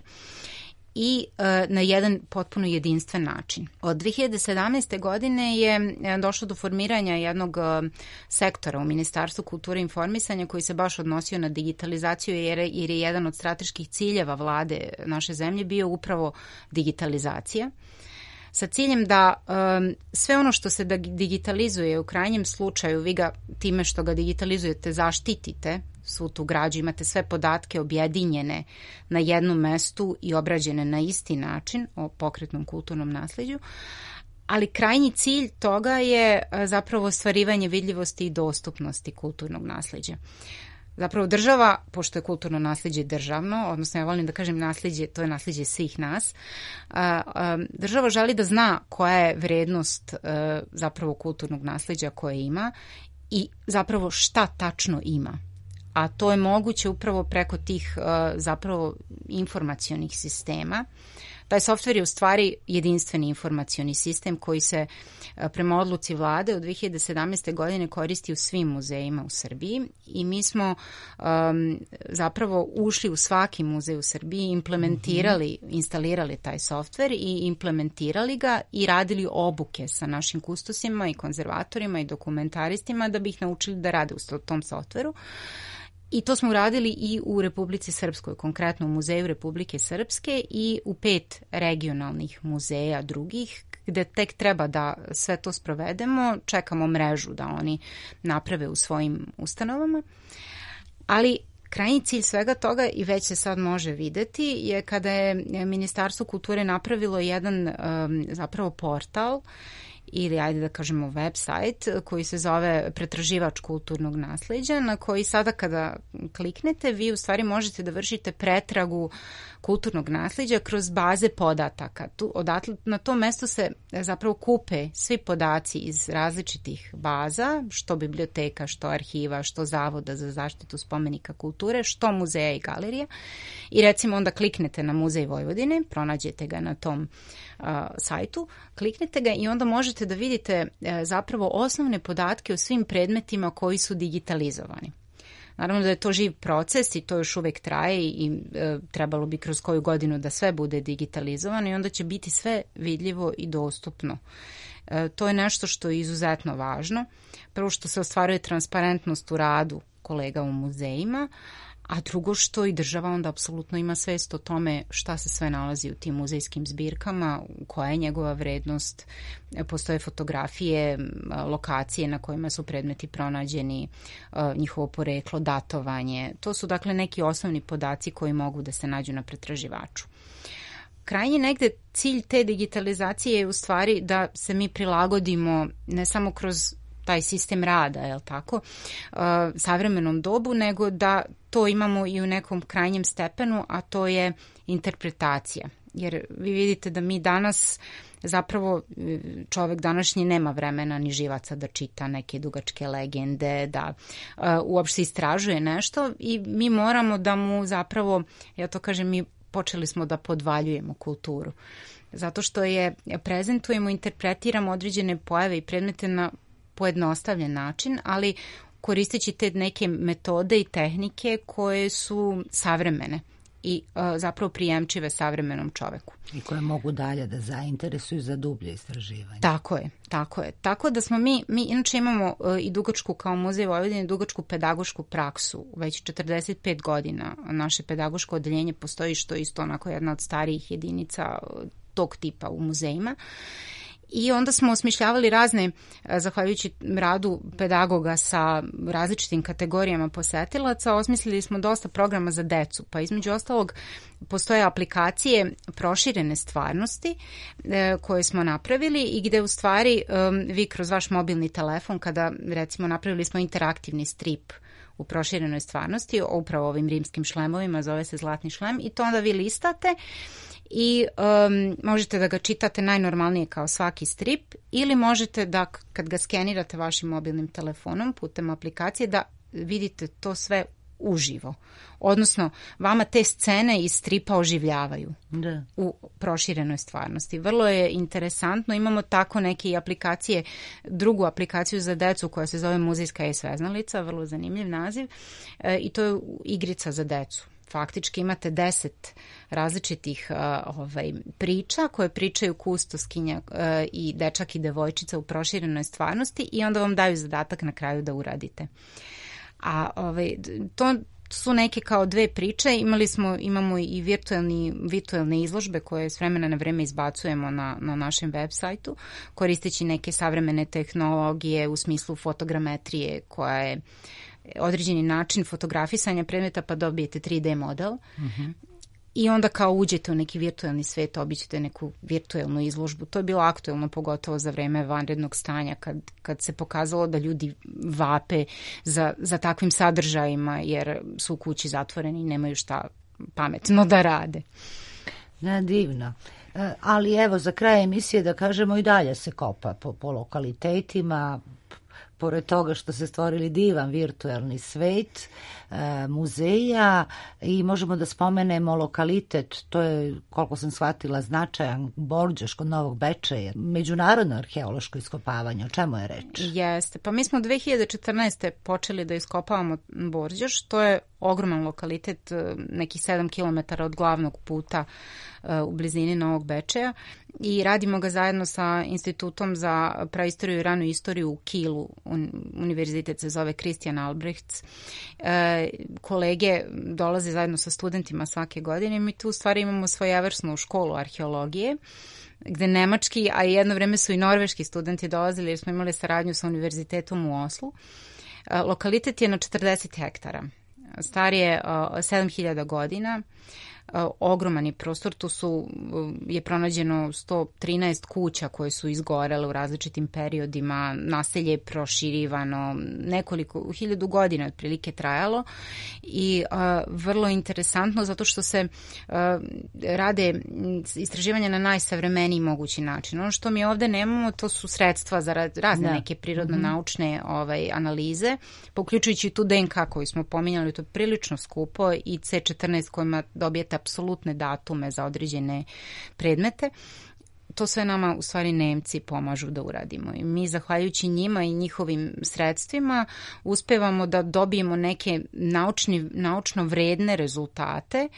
i uh, na jedan potpuno jedinstven način. Od dve hiljade sedamnaeste. godine je došlo do formiranja jednog uh, sektora u Ministarstvu kulture i informisanja koji se baš odnosio na digitalizaciju jer, jer je jedan od strateških ciljeva vlade naše zemlje bio upravo digitalizacija. Sa ciljem da um, sve ono što se digitalizuje u krajnjem slučaju, vi ga time što ga digitalizujete zaštitite, svu tu građu, imate sve podatke objedinjene na jednom mestu i obrađene na isti način o pokretnom kulturnom nasleđu, ali krajnji cilj toga je zapravo ostvarivanje vidljivosti i dostupnosti kulturnog nasleđa. Zapravo država, pošto je kulturno nasleđe državno, odnosno ja volim da kažem nasleđe, to je nasleđe svih nas, država želi da zna koja je vrednost zapravo kulturnog nasleđa koje ima i zapravo šta tačno ima. A to je moguće upravo preko tih zapravo informacionih sistema. Taj softver je u stvari jedinstveni informacioni sistem koji se prema odluci vlade od dve hiljade sedamnaeste. godine koristi u svim muzejima u Srbiji i mi smo um, zapravo ušli u svaki muzej u Srbiji, implementirali, mm-hmm. instalirali taj softver i implementirali ga i radili obuke sa našim kustosima i konzervatorima i dokumentaristima da bi ih naučili da rade u tom softveru. I to smo uradili i u Republici Srpskoj, konkretno u Muzeju Republike Srpske i u pet regionalnih muzeja drugih, gde tek treba da sve to sprovedemo, čekamo mrežu da oni naprave u svojim ustanovama. Ali krajnji cilj svega toga, i već se sad može videti, je kada je Ministarstvo kulture napravilo jedan um, zapravo portal ili ajde da kažemo website koji se zove Pretraživač kulturnog nasleđa, na koji sada kada kliknete vi u stvari možete da vršite pretragu kulturnog nasleđa kroz baze podataka. Tu, odatle, na tom mestu se zapravo kupe svi podaci iz različitih baza, što biblioteka, što arhiva, što Zavoda za zaštitu spomenika kulture, što muzeja i galerija. I recimo onda kliknete na Muzej Vojvodine, pronađete ga na tom uh, sajtu, kliknete ga i onda možete da vidite uh, zapravo osnovne podatke o svim predmetima koji su digitalizovani. Naravno da je to živ proces i to još uvek traje i e, trebalo bi kroz koju godinu da sve bude digitalizovano i onda će biti sve vidljivo i dostupno. E, to je nešto što je izuzetno važno. Prvo što se ostvaruje transparentnost u radu kolega u muzejima, a drugo što i država onda apsolutno ima svest o tome šta se sve nalazi u tim muzejskim zbirkama, koja je njegova vrednost, postoje fotografije, lokacije na kojima su predmeti pronađeni, njihovo poreklo, datovanje. To su dakle neki osnovni podaci koji mogu da se nađu na pretraživaču. Krajnji negde cilj te digitalizacije je u stvari da se mi prilagodimo ne samo kroz taj sistem rada, je li tako, uh, savremenom dobu, nego da to imamo i u nekom krajnjem stepenu, a to je interpretacija. Jer vi vidite da mi danas zapravo čovek današnji nema vremena ni živaca da čita neke dugačke legende, da uh, uopšte istražuje nešto i mi moramo da mu zapravo, ja to kažem, mi počeli smo da podvaljujemo kulturu. Zato što je prezentujemo, interpretiramo određene pojave i predmete na pojednostavljen način, ali koristeći te neke metode i tehnike koje su savremene i uh, zapravo prijemčive savremenom čoveku. I koje mogu dalje da zainteresuju za dublje istraživanje. Tako je, tako je. Tako da smo mi, mi inače imamo uh, i dugačku kao Muzej Vojvodine, dugačku pedagošku praksu. Već četrdeset pet godina naše pedagoško odeljenje postoji, što je isto onako jedna od starijih jedinica tog tipa u muzejima. I onda smo osmišljavali razne, zahvaljujući radu pedagoga sa različitim kategorijama posetilaca, osmislili smo dosta programa za decu, pa između ostalog postoje aplikacije proširene stvarnosti e, koje smo napravili i gde u stvari e, vi kroz vaš mobilni telefon, kada recimo napravili smo interaktivni strip u proširenoj stvarnosti, upravo ovim rimskim šlemovima, zove se Zlatni šlem, i to onda vi listate i um, možete da ga čitate najnormalnije kao svaki strip ili možete da kad ga skenirate vašim mobilnim telefonom putem aplikacije da vidite to sve uživo. Odnosno, vama te scene iz stripa oživljavaju da. U proširenoj stvarnosti. Vrlo je interesantno. Imamo tako neke aplikacije, drugu aplikaciju za decu koja se zove Muzejska e-sveznalica, vrlo zanimljiv naziv, e, i to je igrica za decu. Faktički imate deset različitih uh, ovaj, priča koje pričaju kustoskinja uh, i dečak i devojčica u proširenoj stvarnosti i onda vam daju zadatak na kraju da uradite. A ovaj, to su neke kao dve priče. Imali smo, imamo i virtualni, virtualne izložbe koje s vremena na vreme izbacujemo na, na našem web sajtu, koristeći neke savremene tehnologije u smislu fotogrametrije koja je određeni način fotografisanja predmeta pa dobijete tri D model. Uh-huh. I onda kao uđete u neki virtualni svet, obićete neku virtualnu izložbu. To je bilo aktuelno pogotovo za vreme vanrednog stanja kad, kad se pokazalo da ljudi vape za, za takvim sadržajima jer su u kući zatvoreni i nemaju šta pametno da rade. Da, divno. E, ali evo za kraj emisije da kažemo i dalje se kopa po, po lokalitetima, pored toga što se stvorili divan virtualni svet e, muzeja i možemo da spomenemo lokalitet, to je, koliko sam shvatila, značajan Borđoš kod Novog Bečeja, međunarodno arheološko iskopavanje, o čemu je reč? Jeste, pa mi smo dve hiljade četrnaeste. počeli da iskopavamo Borđoš, to je ogroman lokalitet, nekih sedam kilometara od glavnog puta u blizini Novog Bečeja i radimo ga zajedno sa Institutom za praistoriju i ranu istoriju u Kielu, univerzitet se zove Christian Albrechts. E, kolege dolaze zajedno sa studentima svake godine i mi tu u stvari imamo svojevrsnu školu arheologije, gde nemački, a jedno vreme su i norveški studenti dolazili jer smo imali saradnju sa univerzitetom u Oslu. E, lokalitet je na četrdeset hektara. Star je sedam hiljada godina, ogroman je prostor, tu su, je pronađeno sto trinaest kuća koje su izgorele u različitim periodima, naselje je proširivano, nekoliko hiljadu godina otprilike trajalo i uh, vrlo interesantno zato što se uh, rade istraživanja na najsavremeniji mogući način. Ono što mi ovde nemamo, to su sredstva za razne da. neke prirodno-naučne ovaj, analize, pa uključujući tu D N K koju smo pominjali, to je prilično skupo i C četrnaest kojima dobijete apsolutne datume za određene predmete. To sve nama u stvari Nemci pomažu da uradimo i mi zahvaljujući njima i njihovim sredstvima uspevamo da dobijemo neke naučni, naučno vredne rezultate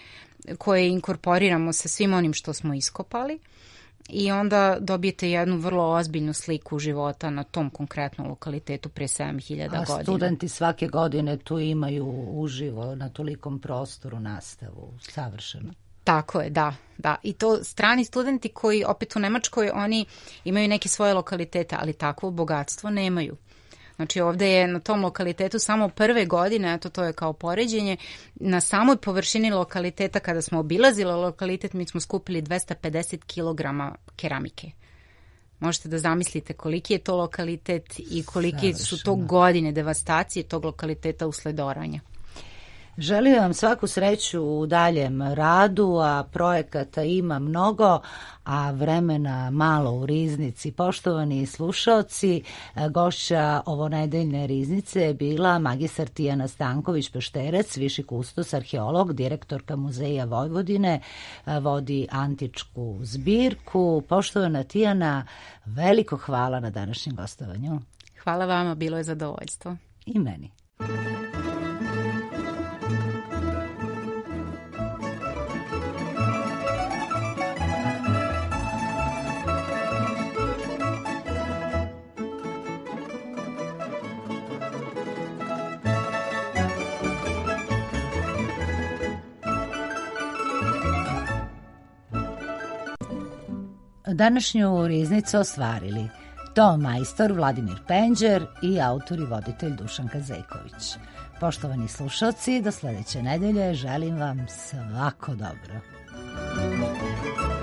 koje inkorporiramo sa svim onim što smo iskopali i onda dobijete jednu vrlo ozbiljnu sliku života na tom konkretnom lokalitetu pre sedam hiljada godina. A studenti svake godine tu imaju uživo na tolikom prostoru nastavu, savršeno. Tako je, da, da. I to strani studenti koji opet u Nemačkoj, oni imaju neke svoje lokalitete, ali takvo bogatstvo nemaju. Znači ovde je na tom lokalitetu samo prve godine, eto to je kao poređenje, na samoj površini lokaliteta kada smo obilazili lokalitet mi smo skupili dvesta pedeset kilograma keramike. Možete da zamislite koliki je to lokalitet i koliki su to godine devastacije tog lokaliteta usled oranja. Želim vam svaku sreću u daljem radu, a projekata ima mnogo, a vremena malo u Riznici. Poštovani slušaoci, gošća ovonedeljne Riznice je bila magistar Tijana Stanković-Pešterec, viši kustos, arheolog, direktorka Muzeja Vojvodine, vodi antičku zbirku. Poštovana Tijana, veliko hvala na današnjem gostovanju. Hvala vama, bilo je zadovoljstvo. I meni. Današnju Riznicu ostvarili ton majstor Vladimir Penđer i autor i voditelj Dušanka Zejković. Poštovani slušalci, do sledeće nedelje želim vam svako dobro. Thank you.